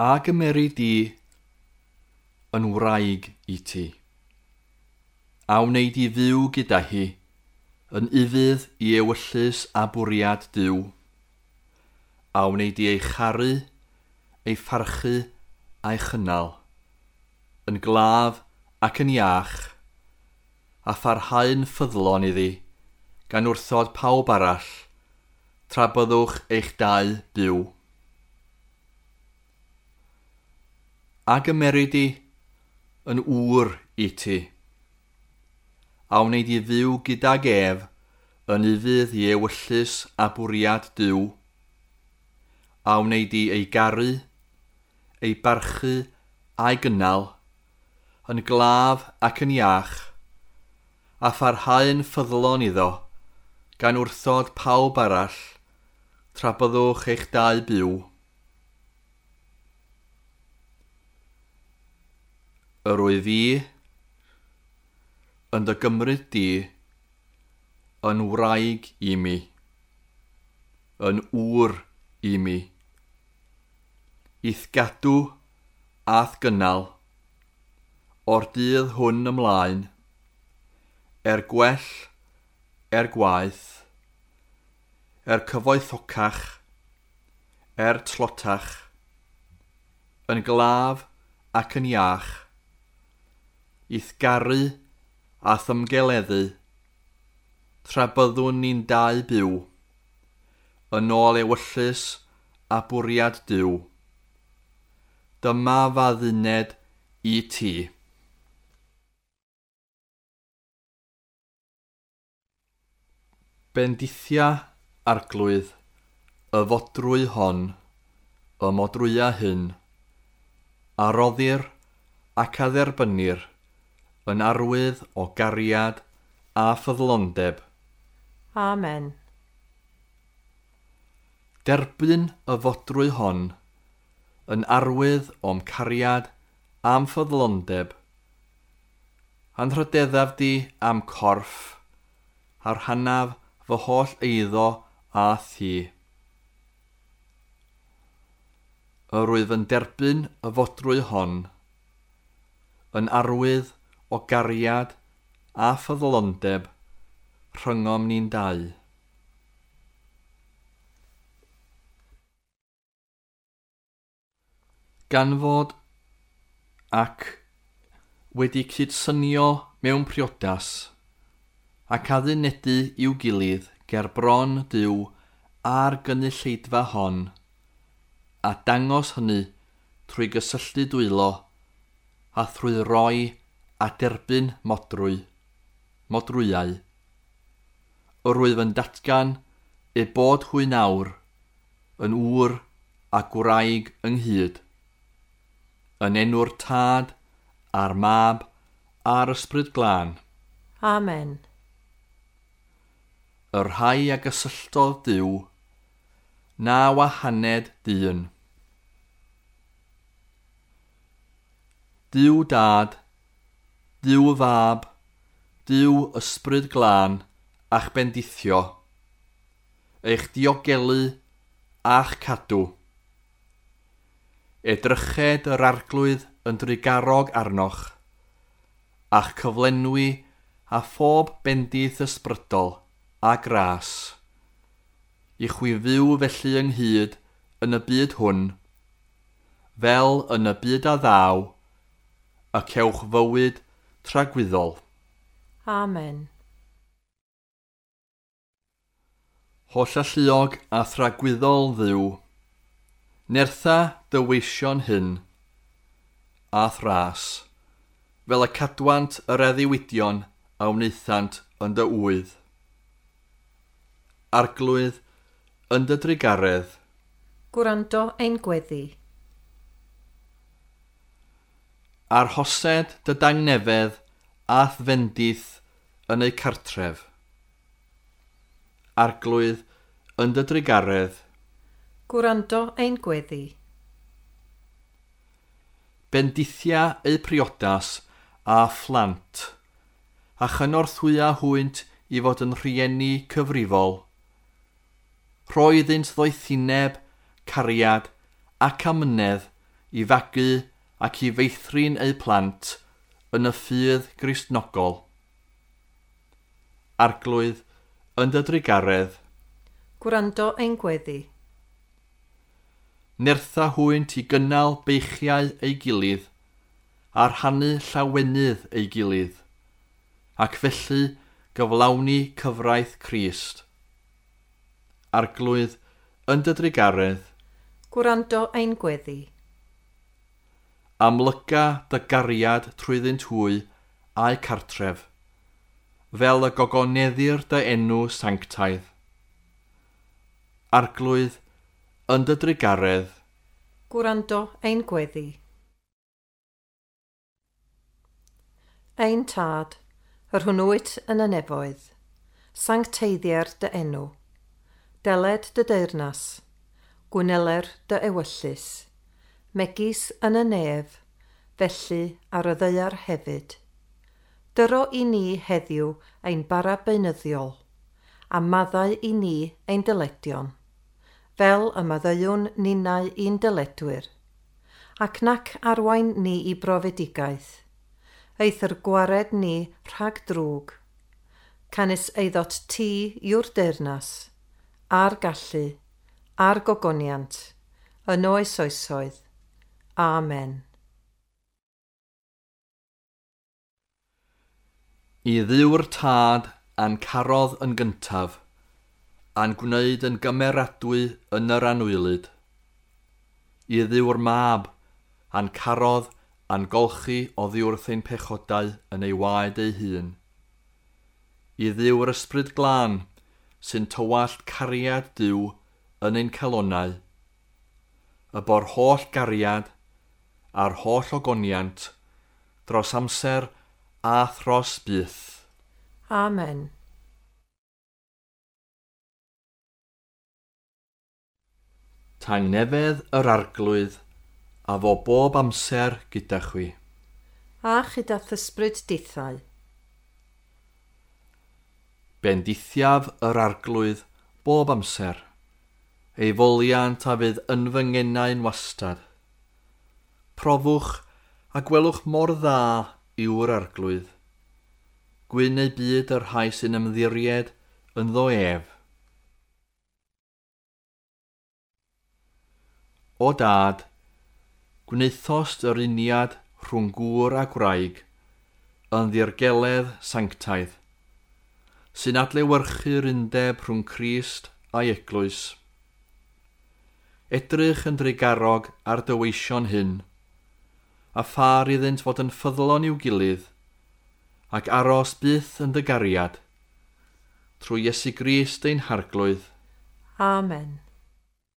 A gymeri di yn wraig i ti? A wnei di fyw gyda hi, yn ufudd i ewyllys a bwriad Duw? A wnei di ei charu, ei pharchu a'i chynnal, yn glaf ac yn iach, a pharhau'n ffyddlon iddi, gan wrthod pawb arall, tra byddwch eich dau byw? A gymeri di yn ŵr i ti? A wnei di fyw gydag ef yn ufudd i ewyllys a bwriad Duw? A wnei di ei garu, ei barchu a'i gynnal, yn glaf ac yn iach, a pharhau'n ffyddlon iddo, gan wrthod pawb arall, tra byddwch eich dau byw? Yr wyf fi yn dy gymryd di yn wraig i mi, yn ŵr i mi, i'th gadw a'th gynnal, o'r dydd hwn ymlaen, er gwell, er gwaeth, er cyfoethocach, er tlotach, yn glaf ac yn iach, i'th garu a'th ymgeleddu, tra byddwn ni'n dau byw, yn ôl ewyllys a bwriad Duw. Dyma f'adduned i ti. Bendithia Arglwydd y fodrwy hon, y modrwya hyn, a roddir ac a dderbynnir yn arwydd o gariad a ffyddlondeb. Amen. Derbyn y fodrwy hon yn arwydd o'm cariad a'm ffyddlondeb. Anrhydeddaf di am corff, a rhannaf fy holl eiddo a thi. Yr wyf yn derbyn y fodrwy hon yn arwydd o gariad a ffyddlondeb rhyngom ni'n dau. Gan fod ac wedi cydsynio mewn priodas ac addunedu i'w gilydd ger bron Duw a'r gynulleidfa hon, a dangos hynny trwy gysylltu dwylo a thrwy roi a derbyn modrwyau. Yr wyf yn datgan eu bod hwy nawr yn ŵr a gwraig ynghyd, yn enw'r Tad a'r Mab a'r Ysbryd Glân. Amen. Y rhai a gysylltodd Duw, na wahaned dyn. Duw Dad, Duw Fab, Duw Ysbryd Glân a'ch bendithio, eich diogelu a'ch cadw. Edryched yr Arglwydd yn drugarog arnoch, a'ch cyflenwi a phob bendith ysbrydol a gras, i chwi fyw felly ynghyd yn y byd hwn, fel yn y byd a ddaw, y cewch fywyd tragwyddol. Amen. Hollalluog a thragwyddol Dduw, nertha dy weision hyn, a thras, fel y cadwant yr addewidion a wnaethant yn dy ŵydd. Arglwydd, yn dy drugaredd. Gwrando ein gweddi. Arhosed dy dangnefedd a'th fendith yn eu cartref. Arglwydd, yn dy drugaredd. Gwrando ein gweddi. Bendithia eu priodas a phlant, a chynorthwya hwynt i fod yn rhieni cyfrifol. Rhoi iddynt ddoethineb, cariad ac amynedd i fagu ac i feithrin eu plant yn y ffydd Gristnogol. Arglwydd, yn dy drugaredd, Gwrando ein gweddi. Nertha hwynt i gynnal beichiau ei gilydd a rhannu llawenydd ei gilydd, ac felly gyflawni cyfraith Crist. Arglwydd, yn dy drugaredd, Gwrando ein gweddi. Amlyga dy gariad trwyddynt hwy a'u cartref, fel y gogoneddir dy enw sanctaidd. Arglwydd, yn dy drugaredd, Gwrando ein gweddi. Ein Tad, yr hwn wyt yn y nefoedd, sancteiddier dy enw, deled dy deyrnas, gwneler dy ewyllys, megis yn y nef, felly ar y ddaear hefyd. Dyro i ni heddiw ein bara beunyddiol, a maddau i ni ein dyledion, fel y maddeuwn ninnau i'n dyledwyr, ac nac arwain ni i brofedigaeth, eithr gwared ni rhag drwg, canys eiddot ti yw'r deyrnas, a'r gallu, a'r gogoniant, yn oes oesoedd. Amen. I Dduw'r Tad a'n carodd yn gyntaf, a'n gwneud yn gymeradwy yn yr anwylyd. I Dduw'r Mab a'n carodd a'n golchi oddi wrth ein pechodau yn ei waed ei hun. I Dduw'r Ysbryd Glân sy'n tywallt cariad Duw yn ein calonnau, y bo'r holl gariad a'r holl ogoniant dros amser a thros byth. Amen. Tangnefedd yr Arglwydd a fo bob amser gyda chwi. A chyda thysbryd dithau. Bendithiaf yr Arglwydd bob amser. Ei foliant a fydd yn fy ngenau'n wastad. Profwch a gwelwch mor dda yw'r Arglwydd. Gwyn ei byd yr rhai sy'n ymddiried ynddo ef. O Dad, gwnaethost yr uniad rhwng gŵr a gwraig yn ddirgeledd sanctaidd, sy'n adlewyrchu'r undeb rhwng Crist a'i eglwys. Edrych yn drugarog ar dy weision hyn, a phar iddynt fod yn ffyddlon i'w gilydd, ac aros byth yn dy gariad, trwy Iesu Grist ein Harglwydd. Amen.